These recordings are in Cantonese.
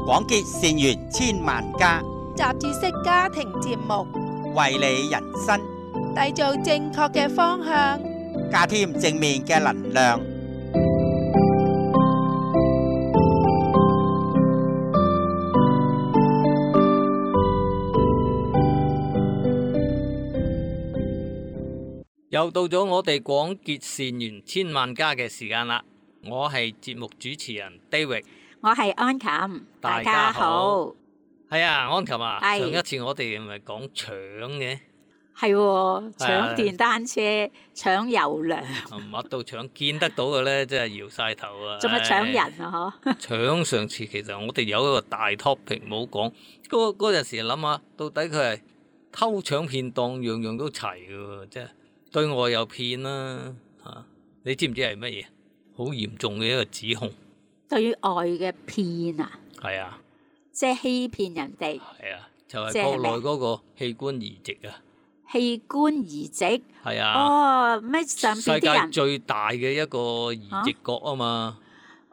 廣結善緣千萬家，雜誌式家庭節目，為你人生締造正確嘅方向，加添正面嘅能量。又到咗我哋廣結善緣千萬家嘅時間啦！我係節目主持人 David， 我係安琴，大家好。係啊，安琴啊，係上一次我哋咪講搶嘅，係喎，搶電單車、搶油糧，乜都搶，見得到嘅咧，真係搖晒頭啊！仲係搶人啊！嗬，搶上次其實我哋有一個大 topic 冇講，嗰陣時諗下，到底佢係偷搶騙當，樣樣都齊嘅喎，真係對外又騙啦嚇，你知唔知係乜嘢？好嚴重嘅一個指控。對外嘅騙啊，係啊，即係欺騙人哋。係啊，就係國內嗰個器官移植啊。器官移植係啊。哦，咩上邊世界啲人最大嘅一個移植國啊嘛。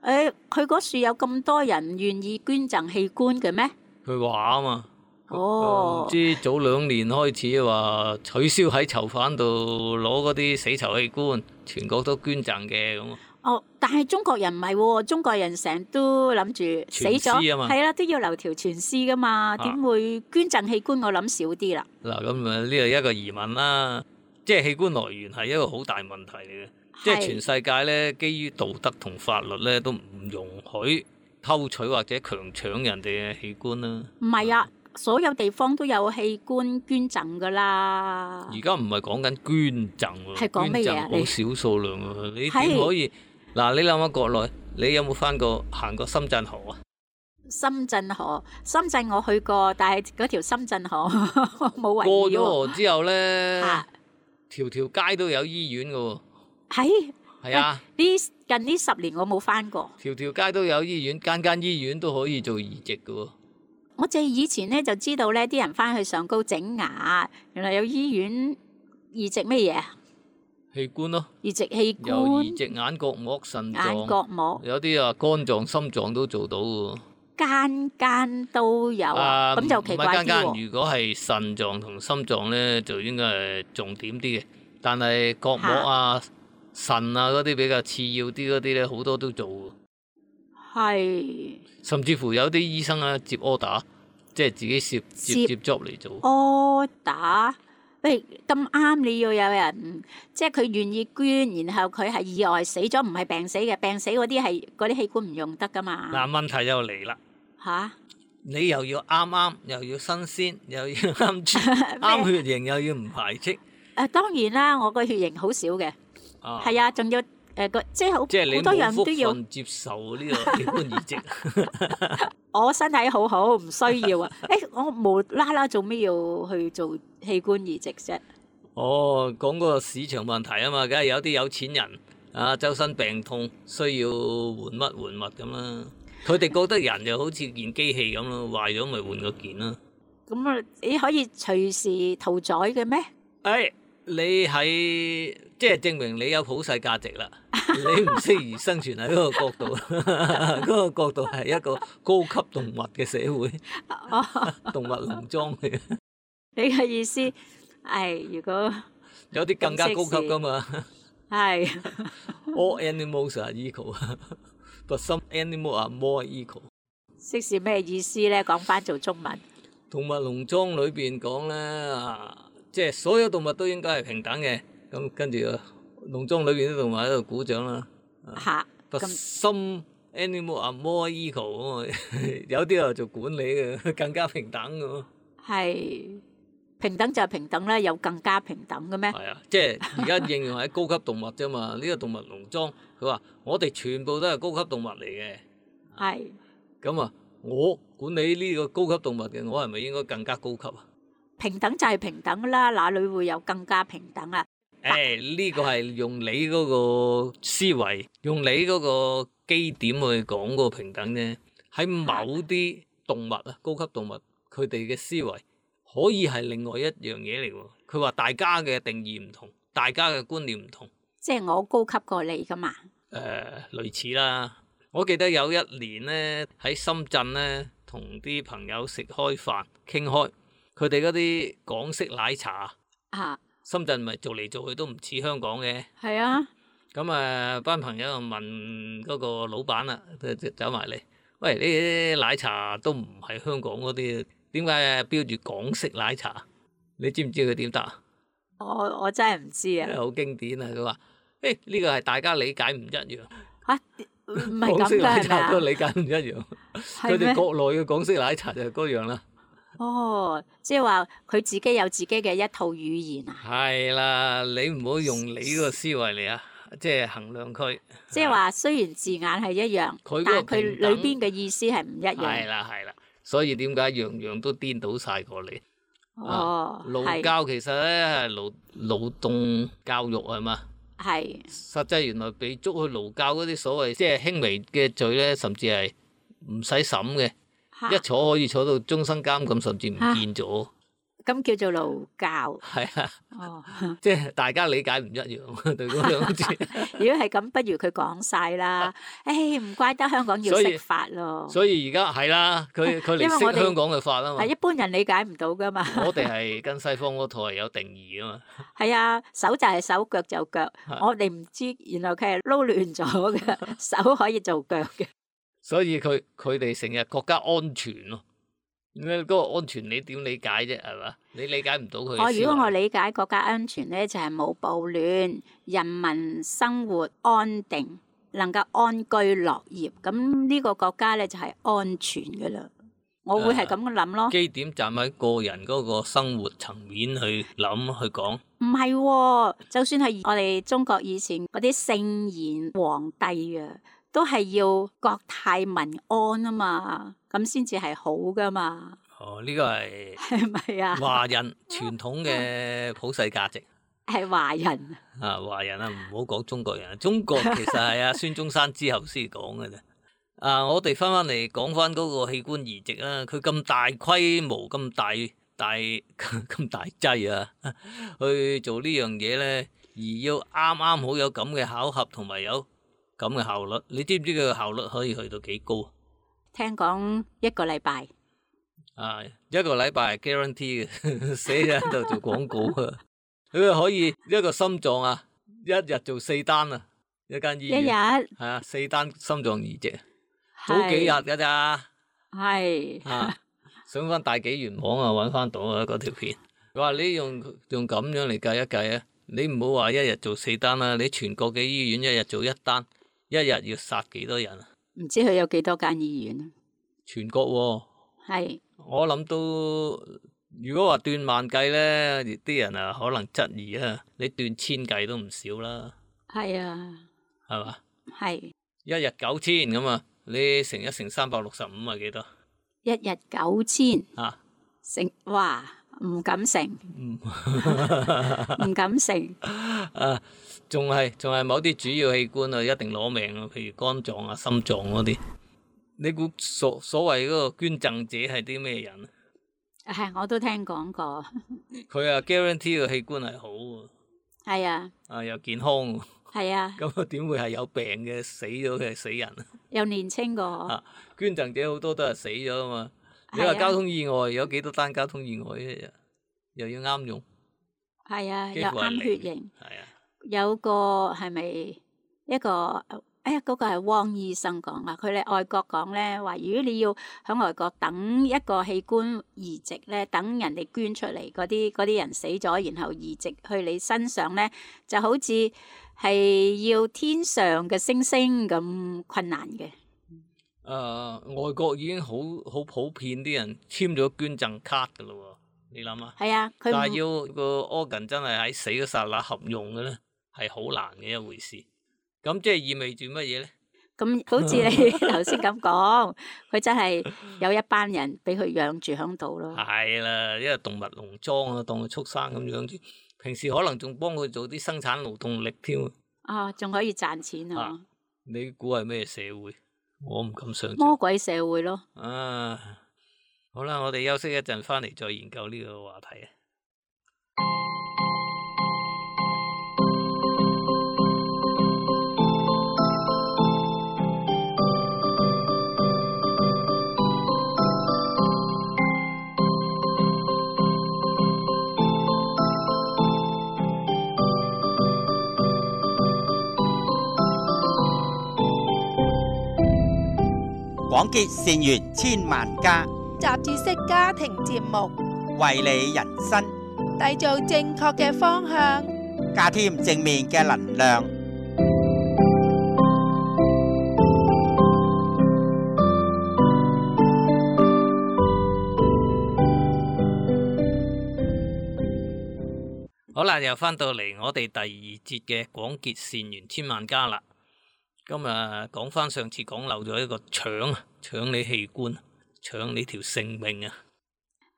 佢嗰處有咁多人願意捐贈器官嘅咩？佢話啊嘛。哦。唔知早2年開始話取消喺囚犯度攞嗰啲死囚器官，全國都捐贈嘅咁。哦，但係中國人唔係喎，中國人成日都諗住死咗，係啦，都要留條全屍噶嘛，點會捐贈器官？我諗少啲啦。嗱，咁啊呢係一個疑問啦，即係器官來源係一個好大問題嚟嘅，即係全世界咧，基於道德同法律咧都唔容許偷取或者強搶人哋嘅器官啦。唔係啊，所有地方都有器官捐贈噶啦。而家唔係講緊捐贈喎，係講乜嘢啊？好少數量喎，你點可以？嗱，你諗下國內，你有冇行過深圳河啊？深圳河，深圳我去過，但係嗰條深圳河冇圍繞。過咗河之後咧，條條街都有醫院噶喎。係啊，近呢10年我冇返過。條條街都有醫院，間醫院都可以做移植噶喎。我哋以前咧就知道咧，啲人返去上高整牙，原來有醫院移植乜嘢啊？器官咯，移植器官，有移植眼角膜、腎臟、眼角膜，有啲啊肝臟、心臟都做到嘅。間都有啊，咁就奇怪啲喎。如果係腎臟同心臟咧，就應該係重點啲嘅。但係角膜啊、腎啊嗰啲比較次要啲嗰啲咧，好多都做。係。甚至乎有啲醫生啊接 order， 即係自己接 job 嚟做。order。喂，咁啱你要有人，即係佢願意捐，然後佢係意外死咗，唔係病死嘅，病死嗰啲器官唔用得噶嘛。嗱，問題又嚟啦。吓？你又要啱，又要新鮮，又要啱血型，又要唔排斥。當然啦，我個血型好少嘅，係啊，仲要即係好多樣都要接受呢個器官移植。我身體好好，唔需要啊！我無啦啦做咩要去做器官移植啫？哦，講個市場問題啊嘛，梗係有啲有錢人啊，周身病痛需要換物咁啦。佢哋覺得人就好似件機器咁咯，壞咗咪換個件啦。咁啊，你可以隨時屠宰嘅咩？你係即係證明你有普世價值啦，你唔適宜生存喺嗰個角度，嗰個角度係一個高級動物嘅社會，動物農莊嚟嘅。你嘅意思係如果有啲更加高級噶嘛？係。All animals are equal, but some animals are more equal。即是咩意思咧？講翻做中文。動物農莊裏邊講咧即係所有動物都應該係平等嘅，咁跟住農莊裏邊啲動物喺度鼓掌啦。But some animals are more equal， 有啲又做管理嘅，更加平等嘅。係平等就係平等啦，有更加平等嘅咩？係啊，即係而家應用喺高級動物啫嘛。呢個動物農莊，佢話我哋全部都係高級動物嚟嘅。係。咁啊，我管理呢個高級動物嘅，我係咪應該更加高級啊？平等就係平等啦，哪裏會有更加平等啊？呢個係用你嗰個思維，用你嗰個基點去講嗰個平等啫。喺某啲動物啊，高級動物，佢哋嘅思維可以係另外一樣嘢嚟喎。佢話大家嘅定義唔同，大家嘅觀念唔同。即係我高級過你噶嘛？類似啦。我記得有一年咧喺深圳咧，同啲朋友食開飯傾開，佢哋嗰啲港式奶茶，啊，深圳咪做嚟做去都唔似香港嘅。係啊，咁班朋友就問嗰個老闆啦，就走埋嚟，喂，呢啲奶茶都唔係香港嗰啲，點解標住港式奶茶？你知唔知佢點答啊？我真係唔知啊。好經典啊！佢話：呢個係大家理解唔一樣。嚇，唔係港式咁㗎係咪奶茶都啊？理解唔一樣，佢係咩？哋國內嘅港式奶茶就係嗰樣啦。哦，即係話佢自己有自己嘅一套語言啊！係啦，你唔好用你個思維嚟啊，即係衡量佢。即係話雖然字眼係一樣，佢嗰個但係佢平等裏邊嘅意思係唔一係樣。啦係啦，所以點解樣樣都顛倒晒過嚟？哦，勞係教其實咧係勞動教育係嘛？係實際原來被捉去勞教嗰啲所謂即係輕微嘅罪咧，甚至係唔使審嘅，嚇一坐可以坐到終身監禁，甚至唔見咗。咁叫做勞教。係啊，哦，即係大家理解唔一樣對嗰兩個字。如果係咁，不如佢講晒啦。誒，唔怪得香港要所以釋法咯。所以而家係啦，佢嚟因為我哋識香港嘅法啊嘛係。一般人理解唔到噶嘛。我哋係跟西方嗰套係有定義啊嘛。係啊，手就係手，腳就腳。我哋唔知，原來佢係撈亂咗嘅，手可以做腳嘅。所以佢哋成日國家安全咯。嗰個安全你點理解啫？係嘛？你理解唔到佢嘅思維。如果我理解國家安全咧，就係冇暴亂，人民生活安定，能夠安居樂業，咁呢個國家咧就係安全噶啦。我會係咁樣諗咯。基點站喺個人嗰個生活層面去諗去講。唔係喎，就算係我哋中國以前嗰啲聖賢皇帝啊，都係要國泰民安啊嘛，咁先至係好噶嘛。哦，呢個係係咪啊？華人傳統嘅普世價值。係華人。啊，華人啊，唔好講中國人。中國其實係啊孫中山之後先講嘅啫。我哋翻嚟講翻嗰個器官移植啦，佢咁大規模、咁大劑啊，去做呢樣嘢咧，而要啱啱好有咁嘅巧合同埋有咁嘅效率，你知唔知佢嘅效率可以去到幾高？聽講一個禮拜。一個禮拜係 guarantee 嘅，寫喺度做廣告啊！佢可以一個心臟啊，一日做4單啊，一間醫院。一日。係啊，4單心臟移植，早幾日㗎咋？係。上翻大紀元網啊，揾翻到啊嗰條片。佢話你用咁樣嚟計一計啊，你唔好話一日做4單啦，你全國嘅醫院一日做1單，一日要殺幾多人啊？唔知佢有幾多間醫院啊？全國喎。係。我諗都，如果話斷萬計咧，啲人啊可能質疑啊，你斷千計都唔少啦。係啊。係嘛？係。一日9000咁啊，你乘一乘365係幾多？一日9000。啊。乘，哇，唔敢乘。唔敢乘。仲係某啲主要器官啊，一定攞命啊，譬如肝臟啊、心臟嗰啲。你估所謂嗰個捐贈者係啲咩人？我都聽講過。佢guarantee 個器官係好喎。係啊。又健康喎。係啊。咁點會係有病嘅死咗嘅死人啊？又年青過。捐贈者好多都係死咗啊嘛。你話交通意外有幾多單交通意外一日？又要啱用。係啊，又啱血型。係啊。有個係咪一個？嗰個係汪醫生講啊，佢哋外國講咧話，如果你要喺外國等一個器官移植咧，等人哋捐出嚟嗰啲人死咗，然後移植去你身上咧，就好似係要天上嘅星星咁困難嘅。外國已經好普遍啲人簽咗捐贈卡噶咯喎，你諗下？係啊，佢但係要個 organ 真係喺死嗰剎那合用嘅咧，係好難嘅一回事。咁即係意味住乜嘢咧？咁好似你頭先咁講，佢真係有一班人俾佢養住喺度咯。係啦，因為動物農莊啊，當佢畜生咁養住，平時可能仲幫佢做啲生產勞動力添。仲可以賺錢啊！你估係咩社會？我唔敢想像。魔鬼社會咯。好啦，我哋休息一陣，翻嚟再研究呢個話題啊。廣結善緣千萬家，雜誌式家庭節目，為你人生締造正確嘅方向，加添正面嘅能量。好啦，又翻到嚟我哋第二節嘅廣結善緣千萬家啦。今日講翻上次講漏咗一個搶你器官，搶你條性命啊！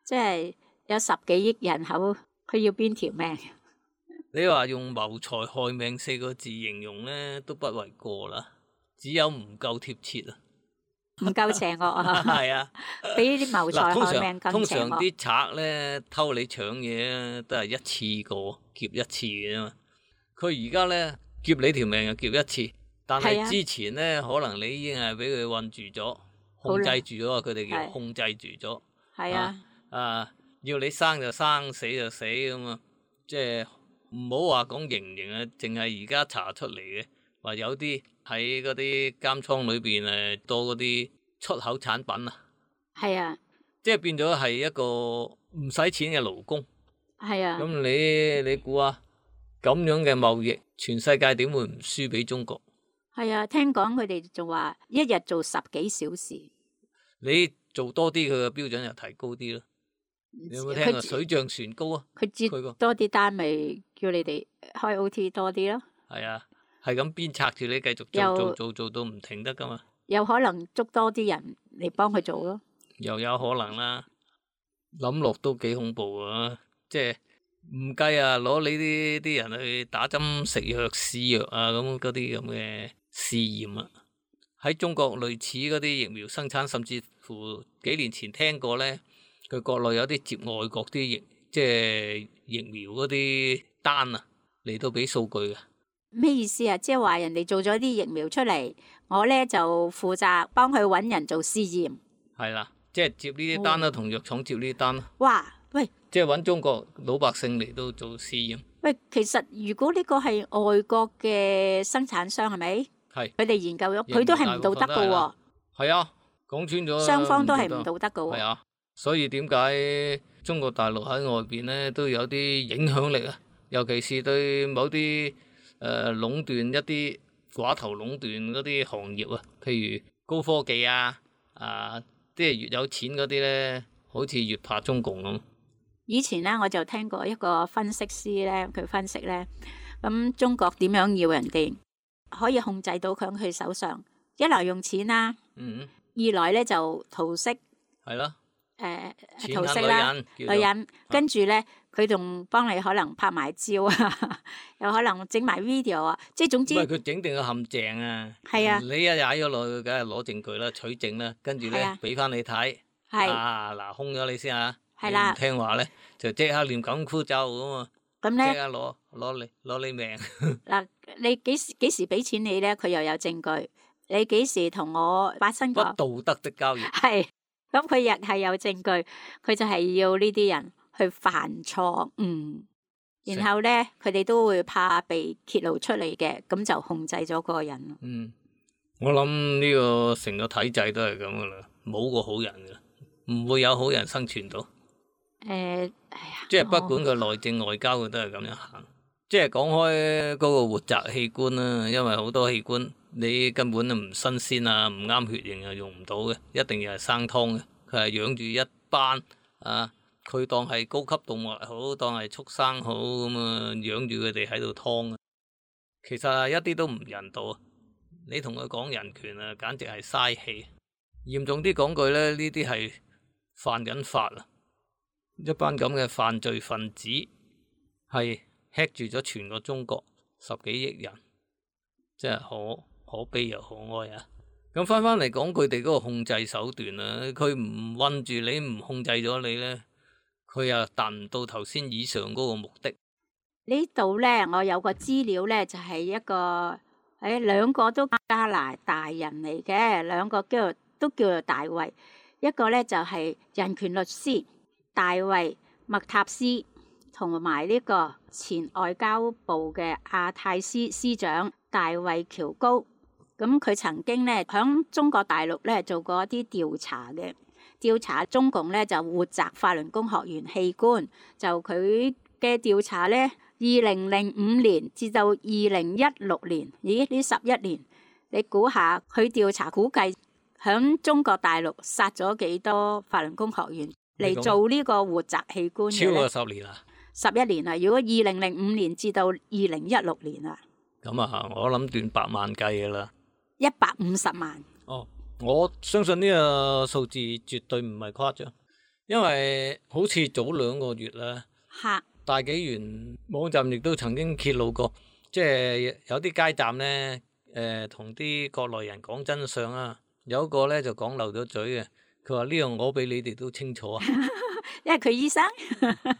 即係有10幾億人口，佢要邊條命？你話用謀財害命4個字形容呢，都不為過啦，只有唔夠貼切啊！唔夠邪惡啊！係啊，比啲謀財害命通更邪惡。常啲賊咧偷你搶嘢咧，都係一次過劫一次嘅啫嘛。佢而家咧劫你條命就劫一次，但係之前咧可能你已經係俾佢困住咗、控制住咗，佢哋叫控制住咗。係啊，要你生就生，死就死咁啊！即係唔好話講刑唔刑啊，淨係而家查出嚟嘅話有啲。喺嗰啲監倉裏邊多嗰啲出口產品啊，係啊，即係變咗係一個唔使錢嘅勞工。係啊，咁你估啊，咁樣嘅貿易，全世界點會唔輸俾中國？係啊，聽講佢哋仲話一日做10幾小時。你做多啲，佢嘅標準又提高啲咯。你有冇聽過水漲船高啊？佢接多啲單，咪叫你哋開 OT 多啲咯。係啊。係咁鞭策住你繼續做到唔停得噶嘛？有可能捉多啲人嚟幫佢做咯。又有可能啦，諗落都幾恐怖啊！即係唔計啊，攞你啲人去打針食藥試藥啊，咁嗰啲咁嘅試驗啊。喺中國類似嗰啲疫苗生產，甚至乎幾年前聽過咧，佢國內有啲接外國啲即係疫苗嗰啲單啊，嚟到俾數據嘅。咩意思啊？即係話人哋做咗啲疫苗出嚟，我咧就負責幫佢搵人做試驗。係啦，即係接呢啲單啦，同藥廠接呢啲單啦。哇，喂！即係搵中國老百姓嚟到做試驗。喂，其實如果呢個係外國嘅生產商，係咪？係。佢哋研究咗，佢都係唔道德噶喎。係啊，講穿咗。雙方都係唔道德噶喎。係啊，所以點解中國大陸喺外邊咧都有啲影響力啊？尤其是對某啲壟斷一啲寡頭壟斷嗰啲行業啊，譬如高科技啊，即係越有錢嗰啲咧，好似越怕中共咁。以前咧我就聽過一個分析師咧，佢分析咧，咁中國點樣要人哋可以控制到佢喺佢手上？一來用錢啦，二來咧就桃色，係咯，桃色啦，女人，跟住咧。佢仲幫你可能拍埋照啊，又可能整埋 video 啊，即係總之。唔係佢整定個陷阱啊！係啊，你一踩咗落去，梗係攞證據啦、取證啦，跟住咧俾翻你睇。係啊，嗱，兇咗你先啊！係啦，唔聽話咧，就即刻念緊箍咒咁啊！咁咧，即刻攞你命。嗱，你幾時俾錢你咧？佢又有證據。你幾時同我發生過不道德的交易？係，咁佢亦係有證據，佢就係要呢啲人。去犯錯誤，然後咧佢哋都會怕被揭露出嚟嘅，咁就控制咗嗰個人。我諗呢個成個體制都係咁噶啦，冇個好人噶，唔會有好人生存到。即係不管佢內政外交，佢都係咁樣行。即係講開嗰個活摘器官啦，因為好多器官你根本都唔新鮮啊，唔啱血型啊，用唔到嘅，一定要係生湯嘅。佢係養住一班啊。佢當係高級動物好，當係畜生好咁啊，養住佢哋喺度劏啊。其實一啲都唔人道啊！你同佢講人權啊，簡直係嘥氣。嚴重啲講句咧，呢啲係犯緊法啊！一班咁嘅犯罪分子係吃住咗全個中國10幾億人，真係可悲又可哀啊！咁翻嚟講佢哋嗰個控制手段啊，佢唔韞住你，唔控制咗你咧。佢又達唔到頭先以上嗰個目的。呢度咧，我有個資料咧，就係一個兩個都加拿大人嚟嘅，兩個都叫做大衛。一個咧就係人權律師大衛麥塔斯，同埋呢個前外交部嘅亞太司司長大衛喬高。咁佢曾經咧響中國大陸咧做過一啲調查嘅，調查中共咧就活摘法輪功學員器官，就佢嘅調查咧，2005年至到2016年，咦呢11年，你估下佢調查估計響中國大陸殺咗幾多法輪功學員嚟做呢個活摘器官嘅咧？超過10年啦，11年啊！如果2005年至到2016年啊，咁啊，我諗斷百萬計噶啦，150萬。哦，我相信呢個數字絕對唔係誇張，因為好似早2個月啦，大紀元網站亦都曾經揭露過，即係有啲街站咧，同啲國內人講真相啊，有一個咧就講漏咗嘴嘅，佢話呢樣我比你哋都清楚啊，因為佢醫生，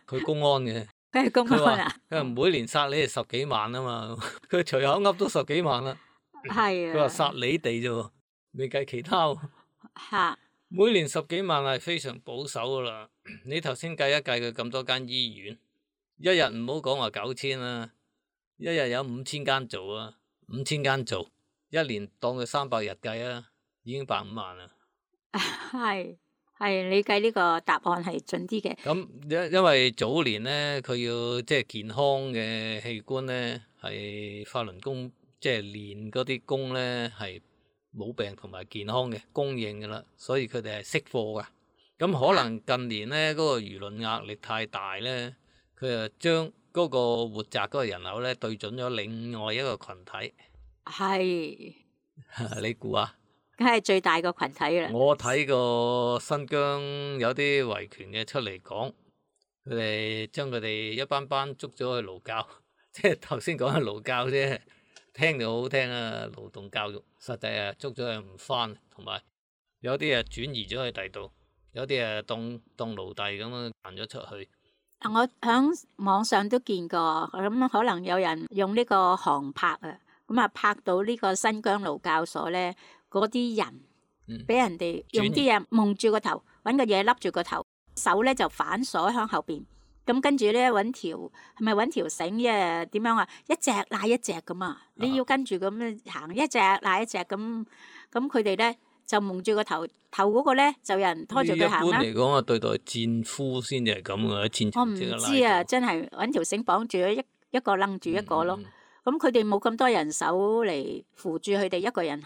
佢公安嘅，佢係公安啊，佢話每年殺你哋10幾萬啊嘛，佢隨口噏都10幾萬啦，係啊，佢話殺你哋啫喎，未計其他喎，嚇，每年10幾萬係非常保守噶啦，你頭先計一計佢咁多間醫院。一日唔好講話9000啦，一日有5000間做啊，5000間做，一年當佢300日計啊，已經150萬啦。係你計呢個答案係準啲嘅。咁因為早年咧，佢要即係健康嘅器官咧，係法輪功即係練嗰啲功咧係冇病同埋健康嘅供應噶啦，所以佢哋係識貨噶。咁可能近年咧嗰個輿論壓力太大咧。佢就將嗰個活摘嗰個人口咧對準咗另外一個群體，係你估啊？梗係最大個群體啦。我睇過新疆有啲維權嘅出嚟講，佢哋將佢哋一班班捉咗去勞教，即係頭先講嘅勞教啫，聽就好聽啊，勞動教育，實際啊捉咗佢唔返，同埋有啲啊轉移咗去第度，有啲啊當奴隸咁樣彈咗出去。我喺網上都見過，咁可能有人用呢個航拍啊，咁啊拍到呢個新疆勞教所咧，嗰啲人俾人哋用啲嘢蒙住個頭，揾個嘢笠住個頭，手咧就反鎖喺後邊，咁跟住咧揾條係咪揾條繩啫？點樣啊？一隻拉一隻咁啊！你要跟住咁樣行，一隻拉一隻咁，咁佢哋咧。就蒙住個頭嗰個咧，就有人拖住佢行啦。一般嚟講啊，對待戰俘先至係咁嘅，戰我唔知啊，真係揾條繩綁住一個掕住一個咯。咁佢哋冇咁多人手嚟扶住佢哋，一個人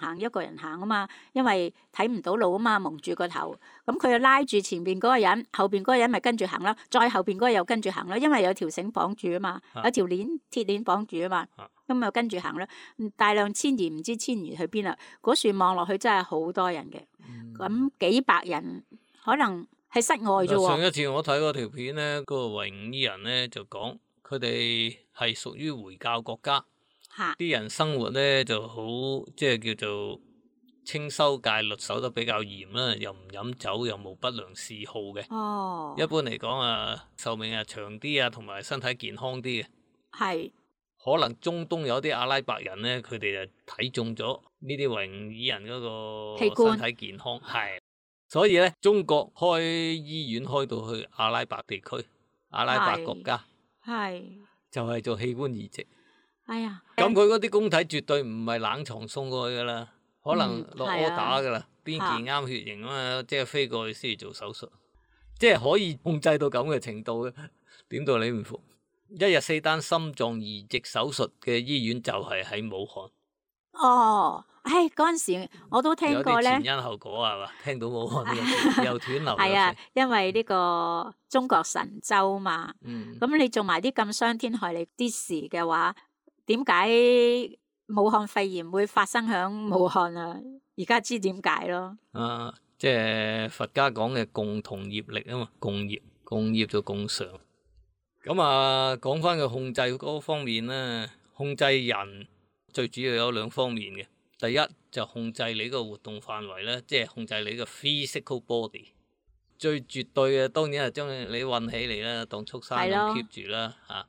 行啊嘛，因為睇唔到路啊嘛，蒙住個頭。咁佢就拉住前邊嗰個人，後邊嗰個人咪跟住行咯，再後邊嗰個又跟住行咯，因為有條繩綁住啊嘛，有條鐵鏈綁住啊嘛，咁咪跟住行咯。大量遷移唔知遷移去邊啦。嗰樹望落去真係好多人嘅，咁幾百人可能喺室外啫喎。上一次我睇嗰條片咧，嗰個維吾爾人咧就講，佢哋係屬於回教國家。啲人生活咧就好，即係叫做清修戒律守得比較嚴啦，又唔飲酒，又冇不良嗜好嘅。哦，一般嚟講啊，壽命啊長啲啊，同埋身體健康啲嘅。係。可能中東有啲阿拉伯人咧，佢哋就睇中咗呢啲維吾爾人嗰個身體健康，係。所以咧，中國開醫院開到去阿拉伯地區、阿拉伯國家，係就係做器官移植。哎呀，咁佢嗰啲公體絕對唔係冷藏送過去噶啦，可能落 order 噶啦，邊件啱血型啊嘛，即係飛過去先至做手術，即係可以控制到咁嘅程度嘅。點到你唔服？一日4單心臟移植手術嘅醫院就係喺武漢。哦，唉，嗰陣時我都聽過咧。有啲前因後果係嘛？聽到武漢又斷流。係啊，因為呢個中國神州嘛。咁你做埋啲咁傷天害理啲事嘅話，點解武漢肺炎會發生喺武漢啊？而家知點解咯。即係佛家講嘅共同業力啊嘛，共業就共償。咁啊，講翻個控制嗰方面咧，控制人最主要有2方面嘅。第一就控制你個活動範圍咧，即係控制你個 physical body。最絕對嘅當然係將你韞起嚟啦，當畜生咁 keep 住啦嚇。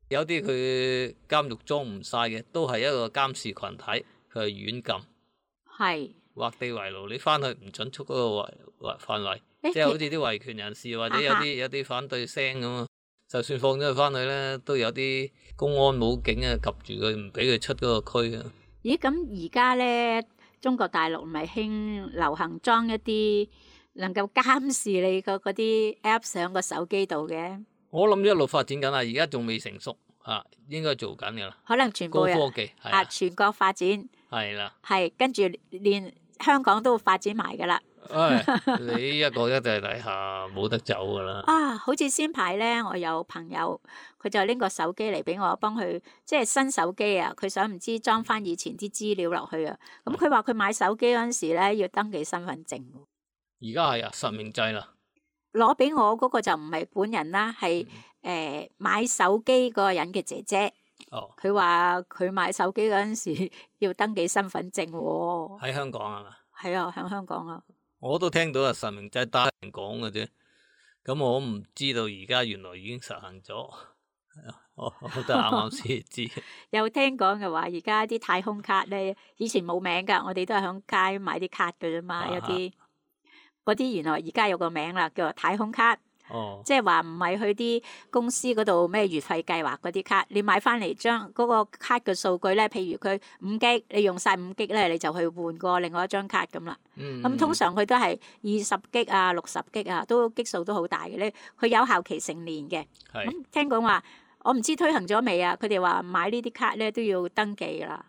有啲佢監獄裝唔晒嘅，都係一個監視群體，佢係軟禁，係劃地為牢，你翻去唔准出嗰個範圍，即係好似啲維權人士或者有啲反對聲咁啊。就算放咗佢翻去咧，都有啲公安武警啊，及住佢，唔俾佢出嗰個區啊。咦，咁而家咧中國大陸咪興流行裝一啲能夠監視你嗰啲 app 上個手機度嘅。我諗一路發展緊啦，而家仲未成熟啊，應該做緊噶啦。可能全部高科技係啊，全國發展係啦。係跟住連香港都發展埋噶啦。你一國一制底下冇得走噶啦。好似先排咧，我有朋友佢就拎個手機嚟俾我幫佢，即係新手機啊，佢想唔知裝翻以前啲資料落去啊。咁佢話佢買手機嗰陣時咧要登記身份證。而家係啊，實名制啦。攞俾我嗰個就唔係本人啦，係買手機嗰個人嘅姐姐。佢話佢買手機嗰陣時要登記身份證喎。喺香港係嘛？係啊，喺香港啊。我都聽到啊，實名制單人講嘅啫。咁我唔知道而家原來已經實行咗。我都啱啱先知。有聽講嘅話，而家啲太空卡咧，以前冇名㗎，我哋都係響街買啲卡㗎啫嘛，有啲。嗰啲原來而家有個名啦，叫做太空卡。即係話唔係去啲公司嗰度咩月費計劃嗰啲卡，你買翻嚟將嗰個卡嘅數據咧，譬如佢5G，你用晒5G咧，你就去換過另外一張卡咁啦。咁通常佢都係20G啊、60G啊，都基數都好大嘅咧。佢有效期成年嘅。咁聽講話，我唔知推行咗未啊？佢哋話買呢啲卡咧都要登記啦。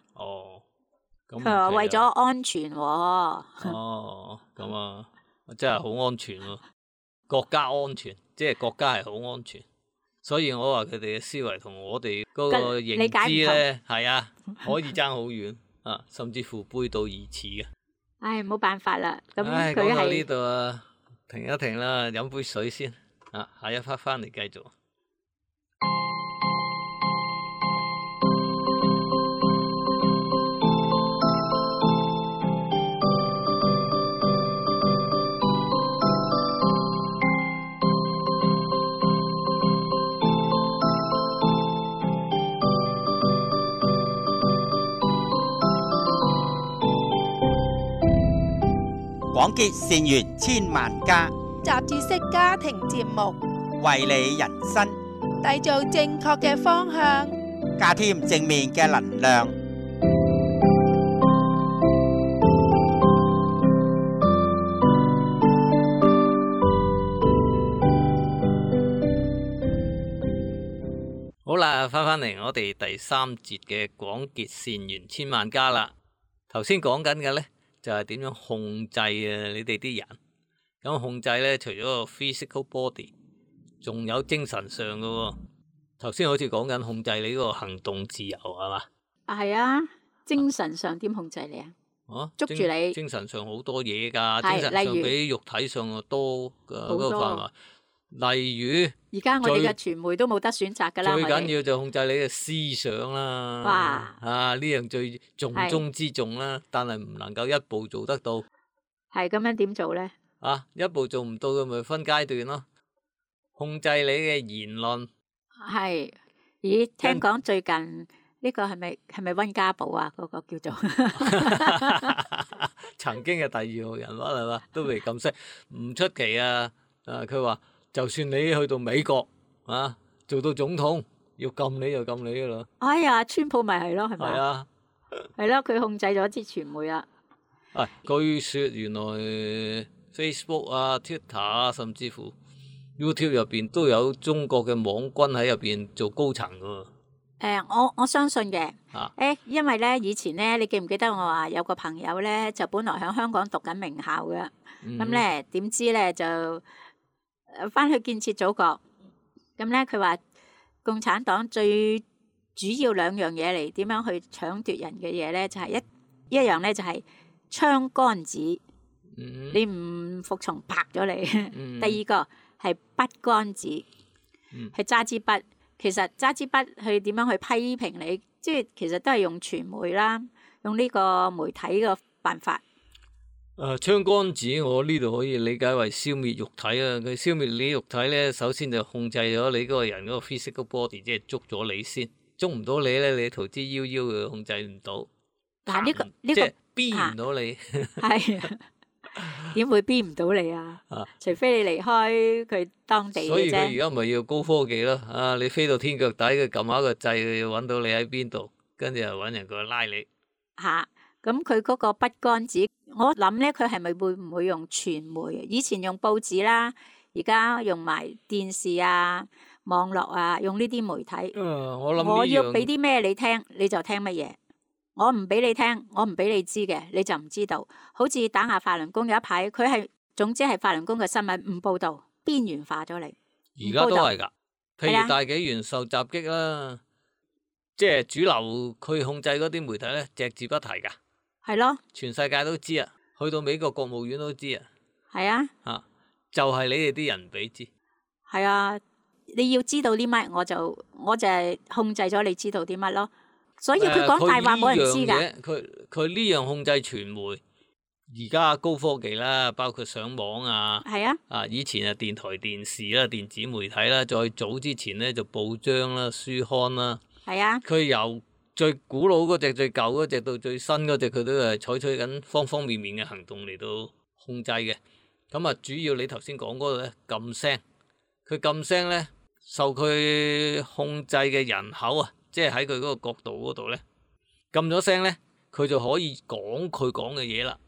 佢話為咗安全喎。咁啊，真係好安全喎。國家安全，即係國家係好安全，所以我話佢哋嘅思維同我哋嗰個認知咧，係啊，可以爭好遠啊，甚至乎背道而馳嘅。冇辦法啦。咁佢講到呢度啊，停一停啦，飲杯水先啊，下一 part 翻嚟繼續。廣結善緣千萬家，雜誌式家庭節目，為你人生締造正確嘅方向，加添正面嘅能量。好啦，翻嚟我哋第3節嘅廣結善緣千萬家啦。頭先講緊嘅咧，就係點樣控制啊你哋啲人。咁控制咧，除咗個 physical body， 仲有精神上嘅喎。頭先好似講緊控制你嗰個行動自由係嘛？係啊，精神上點控制你啊？捉住你。精神上好多嘢㗎，精神上比肉體上多嘅嗰個範圍。例如，而家我哋嘅傳媒都冇得選擇㗎啦。最緊要就控制你嘅思想啦。哇！呢樣最重中之重啦，但係唔能夠一步做得到。係咁樣點做咧？一步做唔到嘅咪分階段咯。控制你嘅言論。係。咦？聽講最近呢個係咪溫家寶啊？嗰個叫做曾經嘅第2號人物係嘛？都未咁識，唔出奇啊！佢話。就算你去到美國做到總統，要禁你就禁你噶啦。哎呀，川普咪係咯，係咪？係啊，係咯，佢控制咗啲傳媒啦。據說原來 Facebook 啊、Twitter 啊，甚至乎 YouTube 入邊都有中國嘅網軍喺入邊做高層噶。我相信嘅。因為咧以前咧，你記唔記得我話有個朋友咧，就本來喺香港讀緊名校嘅，咁咧點知咧就翻去建設祖國，咁咧佢話共產黨最主要2樣嘢嚟點樣去搶奪人嘅嘢咧，就係一樣咧就係槍桿子，你唔服從拍咗你。第二個係筆桿子，係揸支筆。其實揸支筆去點樣去批評你，即係其實都係用傳媒啦，用呢個媒體嘅辦法。槍桿子我呢度可以理解為消滅肉體啊！佢消滅你肉體咧，首先就控制咗你嗰個人嗰個 physical body， 即係捉咗你先，捉唔到你咧，你逃之夭夭嘅控制唔到。但係呢個即係逼唔到你。係啊，點會逼唔到你啊？除非你離開佢當地嘅啫。所以佢而家咪要高科技咯。你飛到天腳底，佢撳下個掣，佢要揾到你喺邊度，跟住又揾人過去拉你。咁佢嗰個筆桿子，我諗咧佢係咪會唔會用傳媒？以前用報紙啦，而家用埋電視啊、網絡啊，用呢啲媒體。我諗我要俾啲咩你聽，你就聽乜嘢。我唔俾你聽，我唔俾你知嘅，你就唔知道。好似打壓法輪功有一排，佢係總之係法輪功嘅新聞唔報導，邊緣化咗你。而家都係㗎，譬如大紀元受襲擊啦，即係主流佢控制嗰啲媒體咧，隻字不提㗎。係咯，全世界都知啊，去到美國國務院都知啊。係啊，就係你哋啲人唔俾知。係啊，你要知道啲乜，我就係控制咗你知道啲乜咯。所以佢講大話冇人知㗎。佢呢樣控制傳媒，而家高科技啦，包括上網啊。係啊。以前啊電台電視啦、電子媒體啦，再早之前咧就報章啦、書刊啦。係啊。佢由最古老嗰隻、最舊嗰隻到最新嗰隻，佢都係採取緊方方面面嘅行動嚟到控制嘅。咁啊，主要你頭先講嗰度咧禁聲，佢禁聲咧受佢控制嘅人口啊，即係喺佢嗰個角度嗰度咧禁咗聲咧，佢就可以講佢講嘅嘢啦。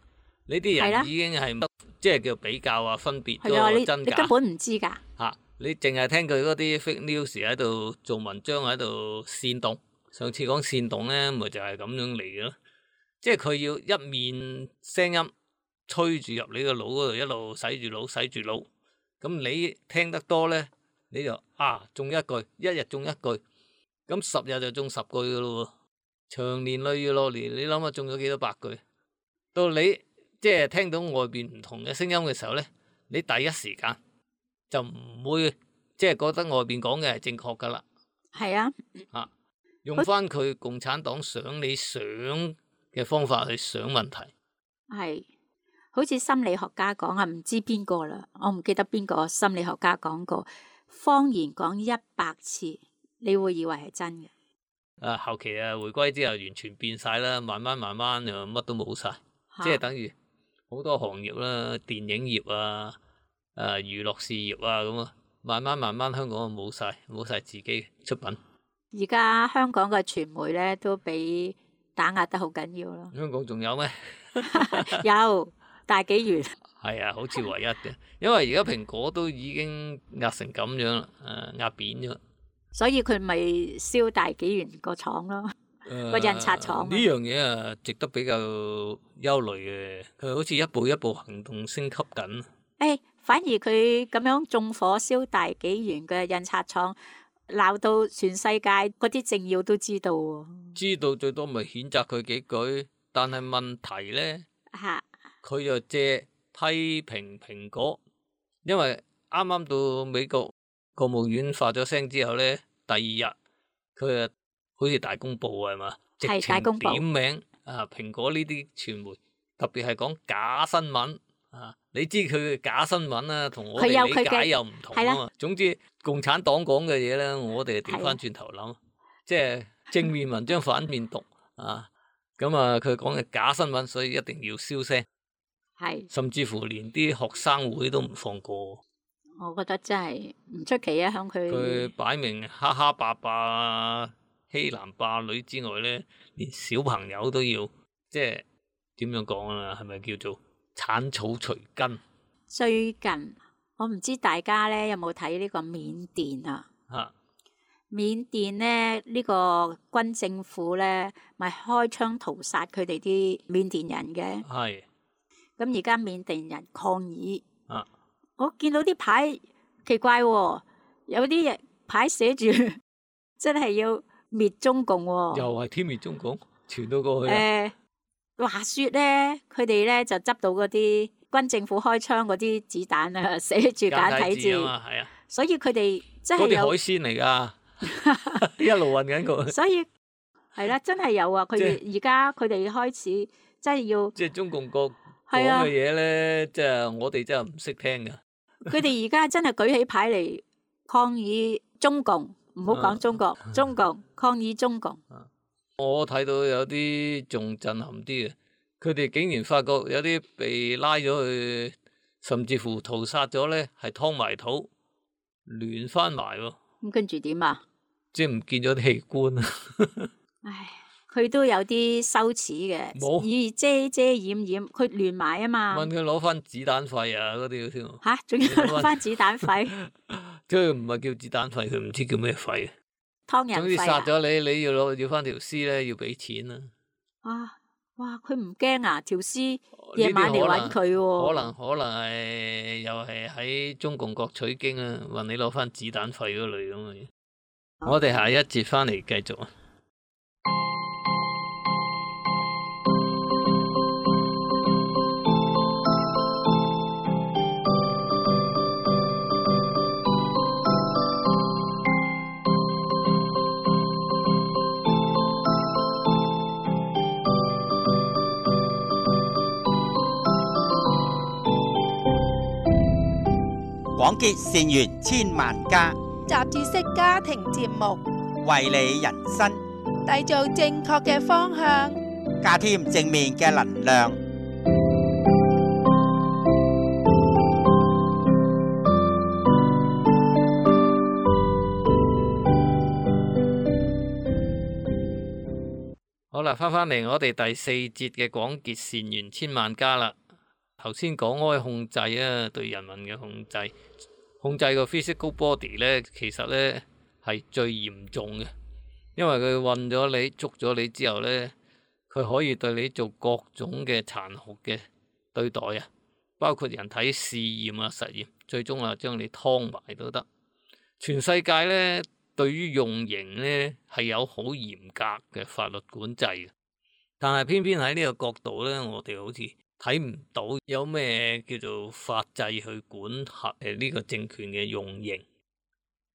呢啲人已經係即係叫比較啊，分別咗真假。你根本唔知㗎。你淨係聽佢嗰啲 fake news 喺度做文章喺度煽動。上次講煽動咧，咪就係咁樣嚟嘅咯。即係佢要一面聲音吹住入你個腦嗰度，一路洗住腦，洗住腦。咁你聽得多咧，你就中一句，一日中一句，咁10日就中10句噶咯喎。長年累月落嚟，你諗下中咗幾多百句？到你即係聽到外邊唔同嘅聲音嘅時候咧，你第一時間就唔會即係覺得外邊講嘅係正確噶啦。係啊。用翻佢共產黨想你想嘅方法去想問題。係，好似心理學家講啊，唔知邊個啦，我唔記得邊個心理學家講過，謊言講100次，你會以為係真嘅。後期回歸之後完全變晒啦，慢慢就乜都冇晒，即係等於好多行業啦，電影業啊、娛樂事業啊咁啊，慢慢香港就冇晒自己出品。而家香港嘅傳媒咧都俾打壓得好緊要咯。香港仲有咩？有大紀元。係啊，好似唯一嘅，因為而家蘋果都已經壓成咁樣啦，壓扁咗。所以佢咪燒大紀元個廠咯，個印刷廠。呢樣嘢啊，值得比較憂慮嘅。佢好似一步一步行動升級緊。反而佢咁樣縱火燒大紀元嘅印刷廠。鬧到全世界嗰啲政要都知道喎，知道最多咪譴責佢幾句，但係問題咧，佢就借批評蘋果，因為啱啱到美國國務院發咗聲之後咧，第二日佢啊好似大公報係嘛，直情點名蘋果呢啲傳媒，特別係講假新聞。你知佢嘅假新聞啊，同我哋理解又唔同啊嘛。總之共產黨講嘅嘢咧，我哋調翻轉頭諗，即係正面文章反面讀咁佢講嘅假新聞，所以一定要燒聲。甚至乎連啲學生會都唔放過。我覺得真係唔出奇啊！響佢擺明蝦蝦霸霸、欺男霸女之外咧，連小朋友都要即係點樣講啊？係咪叫做鏟草除根？最近我唔知大家咧有冇睇呢個緬甸啊？緬甸咧呢個軍政府咧咪開槍屠殺佢哋啲緬甸人嘅。係。咁而家緬甸人抗議。我見到啲牌奇怪喎，有啲牌寫住真係要滅中共喎。又係天滅中共，傳到過去。話說咧，佢哋咧就執到嗰啲軍政府開槍嗰啲子彈啊，寫住簡體字係啊，所以佢哋真係有嗰啲海鮮嚟噶，一路運緊佢。所以係啦，真係有啊！佢哋而家佢哋開始真係要，即係中共國講嘅嘢咧，即係我哋真係唔識聽噶。佢哋而家真係舉起牌嚟抗議中共，唔好講中國，中共抗議中共。我睇到有啲仲震撼啲嘅，佢哋竟然發覺有啲被拉咗去，甚至乎屠殺咗咧，係劏埋肚，亂翻埋喎。咁跟住點啊？即係唔見咗啲器官啊！唉，佢都有啲羞恥嘅，冇以遮遮掩掩，佢亂埋啊嘛。問佢攞翻子彈費啊嗰啲添，嚇，仲要攞翻子彈費、即係唔係叫子彈費，佢唔知叫咩費。湯人總之費啊！殺咗你，你要翻條屍咧，要俾錢啦。哇！佢唔驚啊？條屍夜晚嚟揾佢喎。可能係又係喺中共國取經啊，問你攞翻子彈費嗰類咁嘅嘢。我哋下一節翻嚟繼續啊。廣結善緣千萬家，雜誌式家庭節目，為你人生締造正確嘅方向。加添正面嘅能量。好啦，翻嚟我哋第四節嘅廣結善緣千萬家啦。頭先講開控制啊，對人民嘅控制個 physical body 咧，其實咧係最嚴重嘅，因為佢困咗你、捉咗你之後咧，佢可以對你做各種嘅殘酷嘅對待啊，包括人體試驗啊、實驗，最終啊將你劏埋都得。全世界咧對於用刑咧係有好嚴格嘅法律管制嘅，但係偏偏喺呢個角度咧，我哋好似睇唔到有咩叫做法制去管轄呢個政權嘅用刑，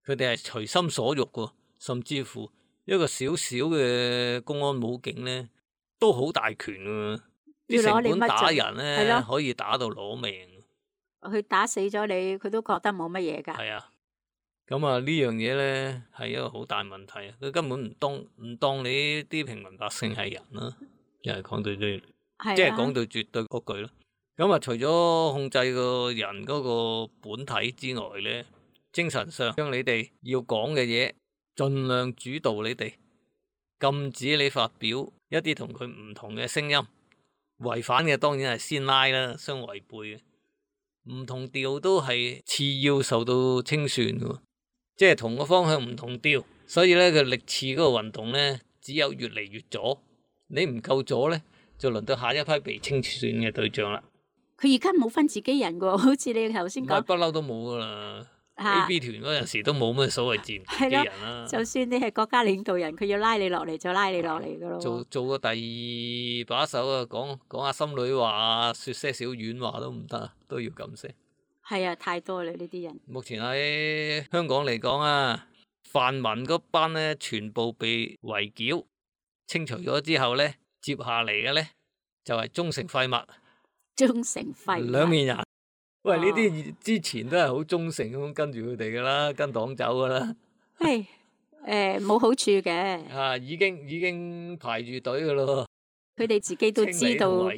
佢哋係隨心所欲嘅，甚至乎一個小小嘅公安武警咧都好大權嘅，啲城管打人咧可以打到攞命。佢打死咗你，佢都覺得冇乜嘢㗎。係啊，咁啊呢樣嘢咧係一個好大問題啊！佢根本唔當你啲平民百姓係人啦，又係講到最。即係講到絕對嗰句咯。咁啊，除咗控制個人嗰個本體之外咧，精神上將你哋要講嘅嘢盡量主導你哋，禁止你發表一啲同佢唔同嘅聲音，違反嘅當然係先拉啦，相違背嘅，唔同調都係次要受到清算嘅，即係同個方向唔同調，所以咧佢歷次嗰個運動咧，只有越嚟越左，你唔夠左咧，就輪到下一批被清算嘅對象啦。佢而家冇分自己人噶，好似你頭先講，不嬲都冇噶啦。A.B 團嗰陣時都冇咩所謂自己人啦。就算你係國家領導人，佢要拉你落嚟就拉你落嚟噶咯。做個第二把手啊，講下心裏話啊，說些少軟話都唔得啊，都要咁聲。係啊，太多啦呢啲人。目前喺香港嚟講啊，泛民嗰班咧全部被圍剿清除咗之後咧，接下嚟嘅咧就係忠誠廢物。忠誠廢物兩面人。喂，呢啲之前都係好忠誠咁跟住佢哋噶啦，跟黨走噶啦。冇好處嘅。已經排住隊噶咯。佢哋自己都知道，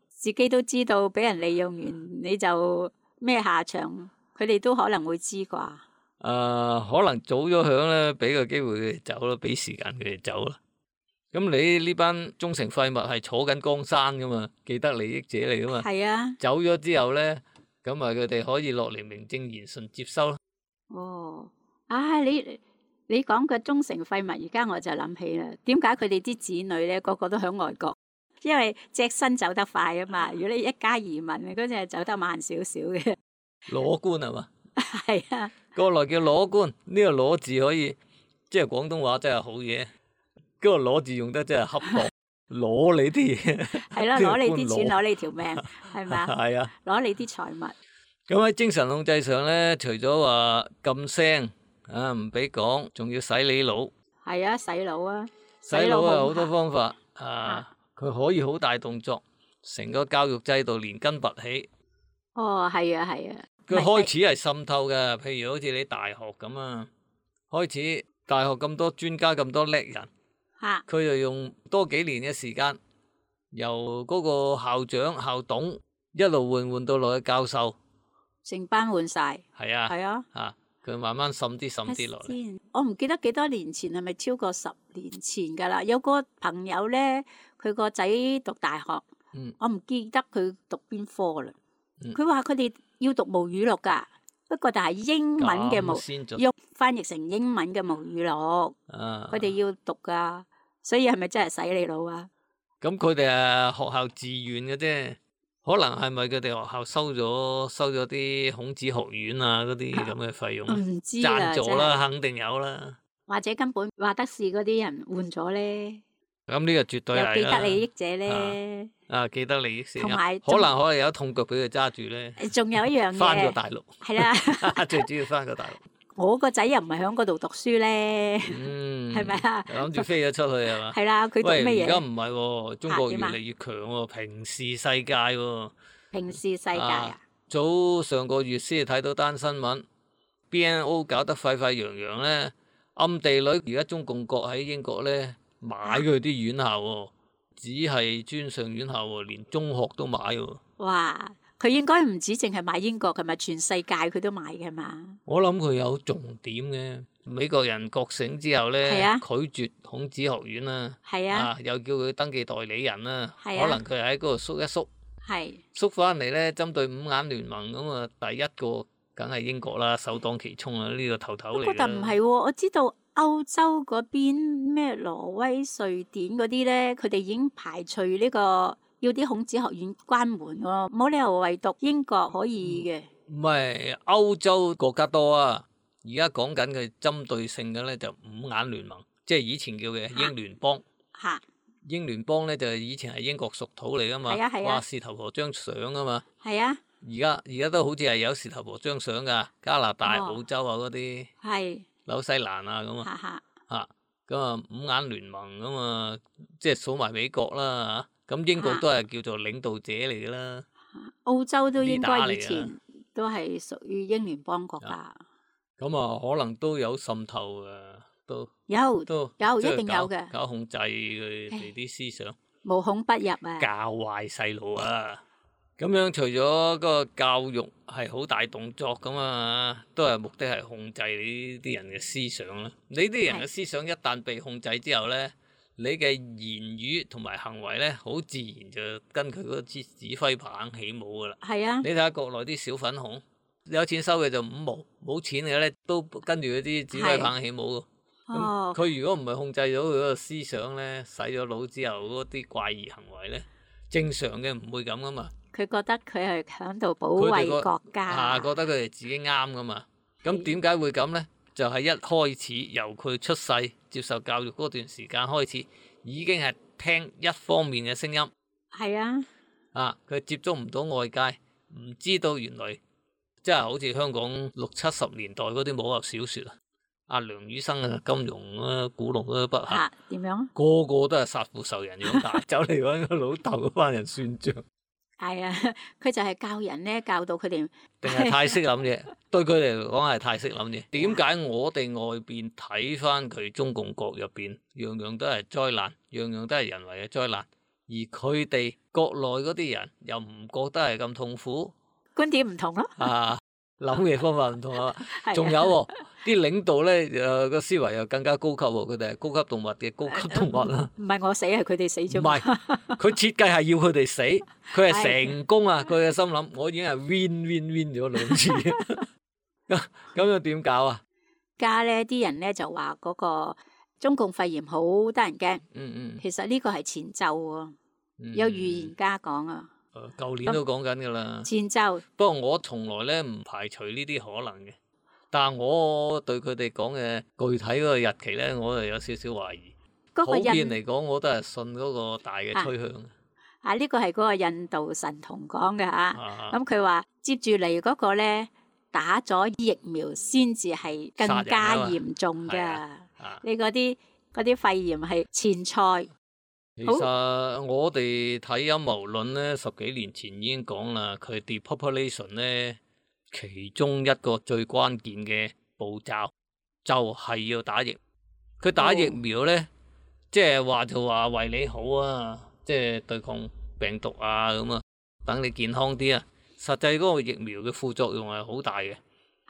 自己都知道俾人利用完你就咩下場，佢哋都可能會知啩。可能早咗響咧，俾個機會佢哋走啦，俾時間佢哋走啦。咁你呢班忠誠廢物係坐緊江山噶嘛，既得利益者嚟噶嘛。係啊。走咗之後咧，咁啊佢哋可以落嚟名正言順接收咯。你講嘅忠誠廢物，而家我就諗起啦。點解佢哋啲子女咧個個都響外國？因為隻身走得快啊嘛。如果你一家移民，嗰隻係走得慢少少嘅。攞官係嘛？係啊。過來叫攞官，呢個攞字可以，即係廣東話真係好嘢。嗰個攞字用得真係恰當，攞你啲嘢。係咯，攞你啲錢，攞你條命，係咪？係啊，攞你啲財物。咁喺精神控制上咧，除咗話禁聲啊，唔俾講，仲要洗你腦。係啊，洗腦啊！洗腦啊，好多方法啊，佢可以好大動作，成個教育制度連根拔起。係啊，係啊。佢開始係滲透嘅，譬如好似你大學咁啊，開始大學咁多專家咁多叻人。佢就用多幾年嘅時間，由嗰個校長、校董一路換到落去教授，成班換晒。係啊，係啊，佢慢慢滲啲落嚟。先，我唔記得幾多年前係咪超過10年前㗎啦？有個朋友咧，佢個仔讀大學，我唔記得佢讀邊科啦。佢話佢哋要讀母語錄㗎，不過但係英文嘅用翻譯成英文嘅母語錄，佢哋要讀㗎，所以係咪真係洗你腦啊？咁佢哋係學校自願嘅啫。可能係咪佢哋學校收咗啲孔子學院啊嗰啲咁嘅費用？唔知啦，贊助啦，肯定有啦。或者根本話得事嗰啲人換咗咧。咁呢個絕對係啦。有既得利益者咧。既得利益者。同埋可能有一痛腳俾佢揸住咧。仲有一樣嘢。翻過大陸。係啦。最主要翻過大陸。我個仔又唔係喺嗰度讀書咧，係咪啊？諗住飛咗出去係嘛？係啦，佢讀乜嘢？而家唔係喎，中國越嚟越強喎，平視世界喎。平視世界啊！早上個月先睇到單新聞 ，BNO 搞得沸沸揚揚咧，暗地裏而家中共國喺英國咧買佢啲院校喎，只係專上院校喎，連中學都買喎。哇！佢應該唔止淨係買英國，係咪全世界佢都買嘅嘛？我諗佢有重點嘅。美國人覺醒之後咧，拒絕孔子學院啦，又叫佢登記代理人啦，可能佢喺嗰度縮一縮，縮翻嚟咧，針對五眼聯盟咁啊，第一個梗係英國啦，首當其衝啊，呢個頭頭嚟。不過但唔係喎，我知道歐洲嗰邊咩挪威、瑞典嗰啲咧，佢哋已經排除呢個。要啲孔子學院關門喎，冇理由唯獨英國可以嘅。唔係歐洲國家多啊，而家講緊嘅針對性嘅咧就五眼聯盟，即係以前叫嘅英聯邦。英聯邦咧就以前係英國屬土嚟噶嘛，話事頭婆張相啊嘛。係啊。而家都好似係有事頭婆張相噶，加拿大、澳洲啊嗰啲。係。紐西蘭啊咁啊。咁啊五眼聯盟咁啊，即係數埋美國啦嚇。咁英國都係叫做領導者嚟噶啦，澳洲都應該以前都係屬於英聯邦國家。咁啊，可能都有滲透噶，都一定有嘅，搞控制佢哋啲思想，無孔不入啊，教壞細路啊。咁樣除咗個教育係好大動作咁啊，都係目的係控制你呢啲人嘅思想啦。你啲人嘅思想一旦被控制之後咧，你嘅言語同埋行為咧，好自然就跟佢嗰支指揮棒起舞噶啦。係啊！你睇下國內啲小粉紅，有錢收嘅就5毛，冇錢嘅咧都跟住嗰啲指揮棒起舞。咁佢如果唔係控制咗佢嗰個思想咧，洗咗腦之後嗰啲怪異行為咧，正常嘅唔會咁噶嘛。佢覺得佢係響度保衞國家。覺得佢哋自己啱噶嘛。咁點解會咁咧？就係一開始由佢出世接受教育嗰段時間開始，已經係聽一方面嘅聲音。係啊。佢接觸唔到外界，唔知道原來即係好似香港60、70年代嗰啲武俠小説啊，阿梁羽生啊、金庸啊、古龍嗰啲筆下。點樣？個個都係殺父仇人樣大，走嚟揾個老豆嗰班人算賬。係啊，佢就係教人咧，教到佢哋。定係太識諗嘢，對佢哋嚟講係太識諗嘢。點解我哋外邊睇翻佢中共國入邊，樣樣都係災難，樣樣都係人為嘅災難，而佢哋國內嗰啲人又唔覺得係咁痛苦？觀點唔同咯。諗嘅方法唔同啊，仲有啲領導咧，個思維又更加高級喎，佢哋係高級動物嘅高級動物啦。唔係我死，係佢哋死咗。唔係，佢設計係要佢哋死，佢係成功啊！佢嘅心諗，我已經係 win 咗2次，咁又點搞啊？家咧啲人咧就話嗰個中共肺炎好得人驚。其實呢個係前奏喎，有預言家講啊。舊年都講緊㗎啦，前奏。不過我從來咧唔排除呢啲可能嘅，但係我對佢哋講嘅具體嗰個日期咧，我就有少少懷疑。普遍嚟講，我都係信嗰個大嘅趨向。呢個係嗰個印度神童講嘅嚇。咁佢話接住嚟嗰個咧，打咗疫苗先至係更加嚴重㗎。你嗰啲肺炎係前菜。其實我哋睇陰謀論咧，10幾年前已經講啦，佢 depopulation 咧，其中一個最關鍵嘅步驟就係要打疫。佢打疫苗咧，即係話就話為你好啊，即係對抗病毒啊咁啊，等你健康啲啊。實際嗰個疫苗嘅副作用係好大嘅，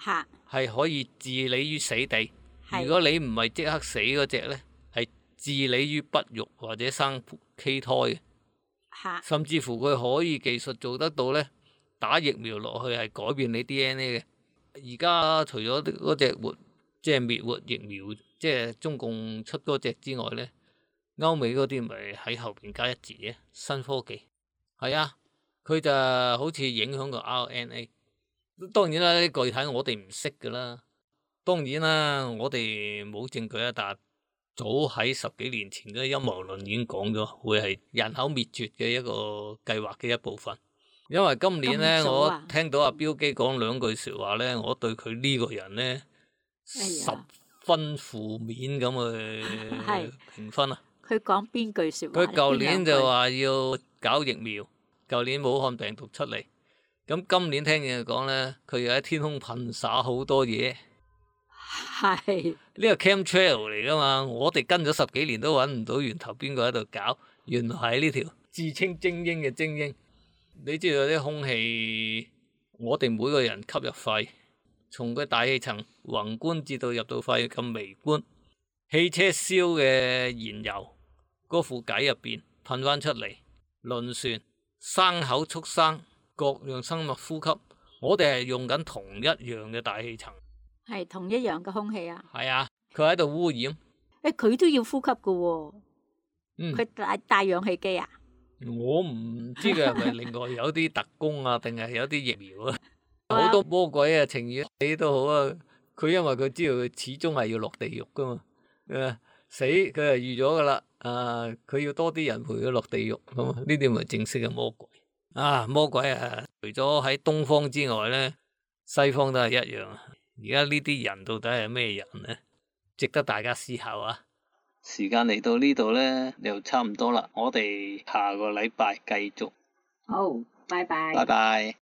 嚇係可以置你於死地。係如果你唔係即刻死嗰只咧，係置你於不育或者生畸胎嘅。嚇甚至乎佢可以技術做得到咧，打疫苗落去係改變你 DNA 嘅。而家除咗嗰隻即係滅活疫苗，即係中共出嗰隻之外咧，歐美嗰啲咪喺後邊加一字嘅新科技。係啊，佢就好似影響個 RNA。當然啦，具體我哋唔識噶啦。當然啦，我哋冇證據啊，但係早喺10幾年前嘅陰謀論已經講咗，會係人口滅絕嘅一個計劃嘅一部分。因為今年咧，我聽到阿標基講2句説話咧，我對佢呢個人咧10分負面咁去評分啊。佢講邊句説話？佢舊年就話要搞疫苗，舊年武漢病毒出嚟，咁今年聽見佢講咧，佢又喺天空噴灑好多嘢。係呢個 chemtrail 嚟噶嘛？我哋跟咗10幾年都揾唔到源頭，邊個喺度搞？原來係呢條自稱精英嘅精英。你知道啲空氣，我哋每個人吸入肺，從佢大氣層宏觀至到入到肺咁微觀。汽車燒嘅燃油嗰副計入邊噴翻出嚟，輪船、牲口、畜生各樣生物呼吸，我哋係用緊同一樣嘅大氣層。係同一樣嘅空氣啊！係啊，佢喺度污染。佢都要呼吸噶喎。佢帶氧氣機啊？我唔知佢係咪另外有啲特工啊，定係有啲疫苗啊？好多魔鬼啊，情願死都好啊！佢因為佢知道佢始終係要落地獄噶嘛。死佢係預咗噶啦。佢要多啲人陪佢落地獄咁啊！呢啲咪正式嘅魔鬼啊！魔鬼啊！除咗喺東方之外咧，西方都係一樣。而家呢啲人到底係咩人呢？值得大家思考啊！時間嚟到呢度呢，又差唔多啦，我哋下個禮拜繼續。好，拜拜。拜拜。